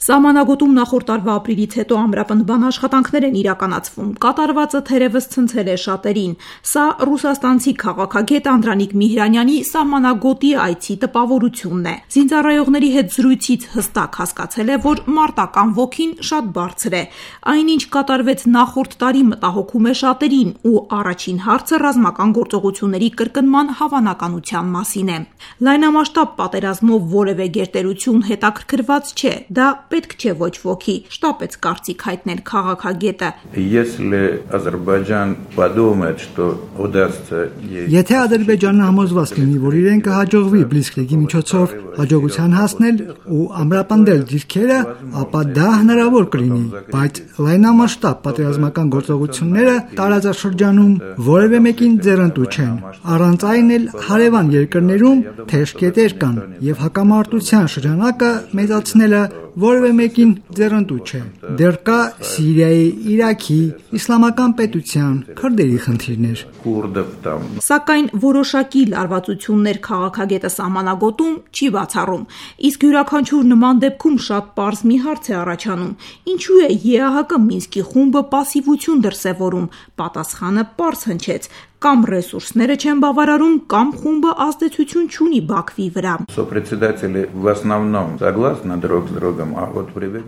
Սահմանագոտում նախորդ տարվա ապրիլից հետո ամրապնդման աշխատանքներ են իրականացվում, կատարվածը թերևս ցնցել է շատերին։ Սա ռուսաստանցի քաղաքագետ Անդրանիկ Միհրանյանի սահմանագոտի այցի տպավորությունն է։ Զինծառայողների հետ զրույցից հստակ հասկացել է, որ մարտական ոգին շատ բարձր է։ Այնինչ կատարվեց նախորդ տարի մտահոգում է շատերին ու առաջին հարցը ռազմական գործողությունների կրկնման հավանականության մասին է։ Լայնամասշտաբ պատերազմով որևէ գերտերություն հետաքրքրված չէ, դա պետք չէ ոչ ոքի, շտապեց կարծիք հայտնել քաղաքագետը։ Եթե Ադրբեջանը համոզված լինի, որ իրեն կհաջողվի Բլիցկրիգի միջոցով հաջողության հասնել ու ամրապնդել դիրքերը, ապա դա հնարավոր կլինի, բայց լայնամասշտաբ պատերազմական գործողությունները տարածաշրջանում որևէ մեկին ձեռնտու չեն։ Առանց այն էլ հարևան երկրներում թեժ կետեր կան եւ հակամարտության շրջանակը մեծացնելը որևէ մեկին ձեռնտու չէ։ Դեռ կա Սիրիայի, Իրաքի, Իսլամական պետության, քրդերի խնդիրներ։ Սակայն որոշակի լարվածություններ քաղաքագետը սահմանագոտում չի բացառում։ Իսկ յուրաքանչյուր նման դեպքում շատ պարզ մի հարց է առաջանում. ինչու է ԵԱՀԿ Մինսկի խումբը պասիվություն դրսևորում։ Պատասխանը պարզ հնչեց. կամ ռեսուրսները չեն բավարարում, կամ խումբը ազդեցություն չունի Բաքվի վրա։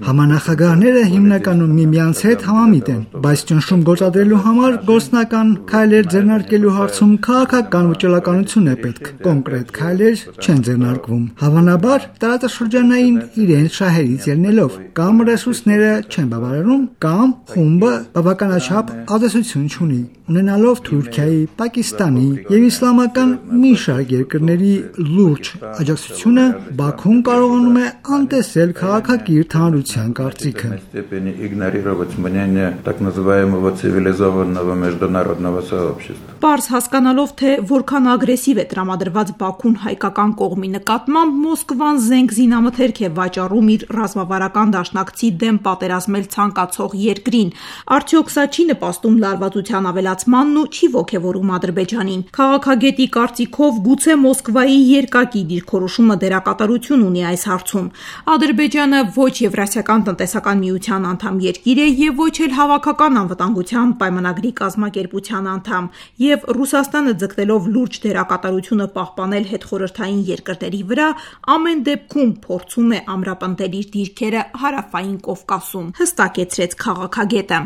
Համանախագահները հիմնականում միմյանց հետ համամիտ են, բայց ճնշում գործադրելու համար գործնական քայլեր ձեռնարկելու հարցում քաղաքական վճռականություն է պետք, կոնկրետ քայլեր չեն ձեռնարկվում։ Հավանաբար տարածաշրջանային իրենց շահերից ելնելով, կամ ռեսուրսները չեն բավարարում, կամ խումբը բավականաչափ ազդեցություն չունի, ունենալով Թուրքիայի, Պակիստանի եւ իսլամական մի շարք երկրների լուրջ աջակցությունը, Բաքուն կարողանում է անտեսել քաղաքակիրթ հանրության կարծիքը։ Պարզ հասկանալով, թե որքան ագրեսիվ է տրամադրված Բաքուն հայկական կողմի նկատմամբ, Մոսկվան զենք զինամթերք է վաճառում իր ռազմավարական դաշնակցի դեմ պատերազմել ցանկացող երկրին։ Արդյոք սա չի նպաստում լարվածության ավելացմանն ու չի ոգևորում Ադրբեջանին։ Քաղաքագետի կարծիքով գուցե Մոսկվայի երկակի դիրքորոշումը դերակատարություն ունի այս հարցում։ Ադրբեջանը ոչ Եվրասիական տնտեսական միության անդամ երկիր է եւ ոչ էլ Հավաքական անվտանգության պայմանագրի կազմակերպության անդամ, եւ Ռուսաստանը ձգտելով լուրջ դերակատարությունը պահպանել հետխորհրդային երկրների վրա, ամեն դեպքում փորձում է ամրապնդել իր դիրքերը հարավային Կովկասում, հստակեցրեց քաղաքագետը։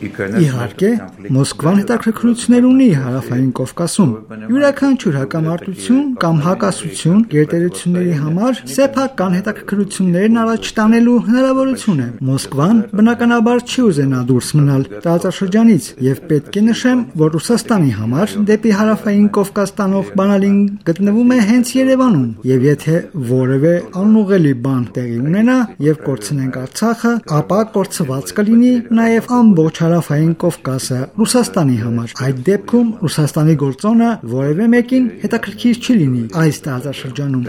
Իհարկե, Մոսկվան հետաքրքրություններ ունի հարավային Կովկասում։ Յուրաքանչյուր հակամարտություն կամ հակասություն գերտերությունների համար սեփական հետաքրքրություններն առաջ տանելու հնարավորություն է։ Մոսկվան բնականաբար չի ուզենա դուրս մնալ տարածաշրջանից եւ պետք է նշեմ, որ Ռուսաստանի համար դեպի հարավային Կովկաս տանող բանալին գտնվում է հենց Երևանում, եւ եթե որևէ անուղղելի բան տեղի ունենա եւ կորցնենք Արցախը, ապա կորցված կլինի նաեւ ամբողջ հարավային Կովկասը Ռուսաստանի համար։ Այդ դեպքում Ռուսաստանի գործոնը որևէ մեկին հետաքրքիր չի լինի այս տարածաշրջանում։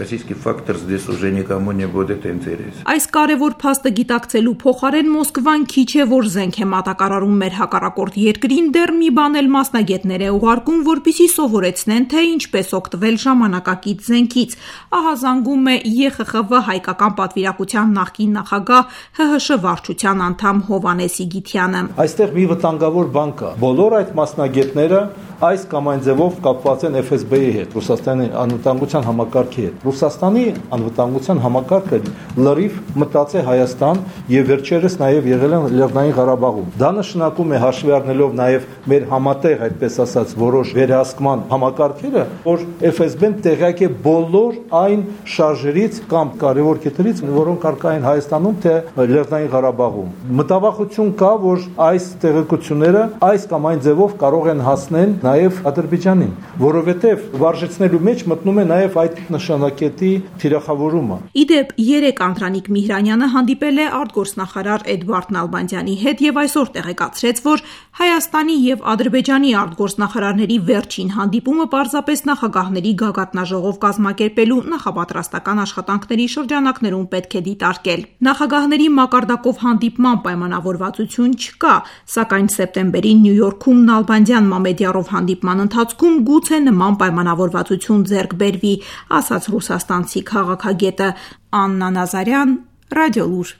Այս կարևոր փաստը գիտակցելու փոխարեն Մոսկվան քիչ է որ զենք է մատակարարում մեր հակառակորդ երկրին, դեռ մի բան էլ մասնագետներ է ուղարկում, որպեսզի սովորեցնեն, թե ինչպես օգտվել ժամանակակից զենքից։ Ահա զանգում է ԵԽԽՎ հայկական պատվիրակության նախկին նախագահ ՀՀՇ վարչության անդամ Հովհաննես Իգիթյանը։ Այստեղ մի վտանգավոր բան կա։ Բոլոր այդ մասնագետները այս կամ այն ձևով կապված են FSB-ի հետ, Ռուսաստանի անվտանգության համակարգի հետ։ Ռուսաստանի անվտանգության համակարգը լրիվ մտած է Հայաստան եւ վերջերս նաեւ եղել են Լեռնային Ղարաբաղում։ Դա նշանակում է հաշվի առնելով նաեւ մեր համատեղ, այդպես ասած, որոշ վերահսկման համակարգերը, որ FSB-ն տեղյակ է բոլոր այն շարժերից կամ կարևոր կետերից, որոնք առկա են Հայաստանում թե Լեռնային Ղարաբաղում։ Մտավախություն կա, որ այս տեղեկությունները այս կամ այն ձևով կարող են հասնել նաև Ադրբեջանին, որովհետև վարժեցնելու մեջ մտնում է նաև այդ նշանակետի թիրախավորումը։ Իդեպ 3 Անդրանիկ Միհրանյանը հանդիպել է արտգործնախարար Էդվարդ Նալբանդյանի հետ եւ այսօր տեղեկացրեց, որ Հայաստանի եւ Ադրբեջանի արտգործնախարարների վերջին հանդիպումը պարզապես նախագահների գագաթնաժողով կազմակերպելու նախապատրաստական աշխատանքների շրջանակներում պետք է դիտարկել։ Նախագահների մակարդակով հանդիպման պայմանավորվածություն չկա, Սակայն սեպտեմբերին Նյու Յորքում Նալբանդյան Մամեդյարով հանդիպման ընթացքում գուցե նման պայմանավորվածություն ձեռք բերվի, ասաց ռուսաստանցի քաղաքագետը։ Աննա Նազարյան, Ռադիոլուր։